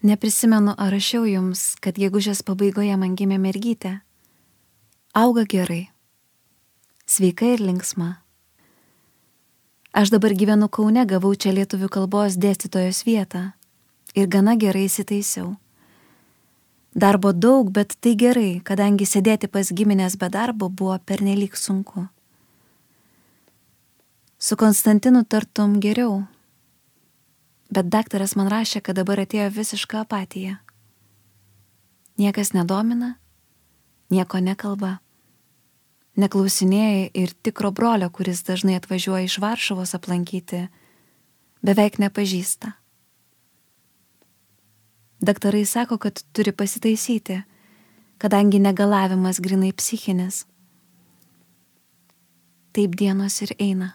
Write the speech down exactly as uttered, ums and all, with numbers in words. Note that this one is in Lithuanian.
Neprisimenu, ar rašiau jums, kad gegužės pabaigoje man gimė mergytė. Auga gerai. Sveika ir linksma. Aš dabar gyvenu Kaune, gavau čia lietuvių kalbos dėstytojos vietą ir gana gerai įsitaisiau. Darbo daug, bet tai gerai, kadangi sėdėti pas giminės be darbo buvo pernelyg sunku. Su Konstantinu tartum geriau, bet daktaras man rašė, kad dabar atėjo visiška apatija. Niekas nedomina, nieko nekalba. Neklausinėja ir tikro brolio, kuris dažnai atvažiuoja iš Varšuvos aplankyti, beveik nepažįsta. Daktarai sako, kad turi pasitaisyti, kadangi negalavimas grinai psichinis. Taip dienos ir eina.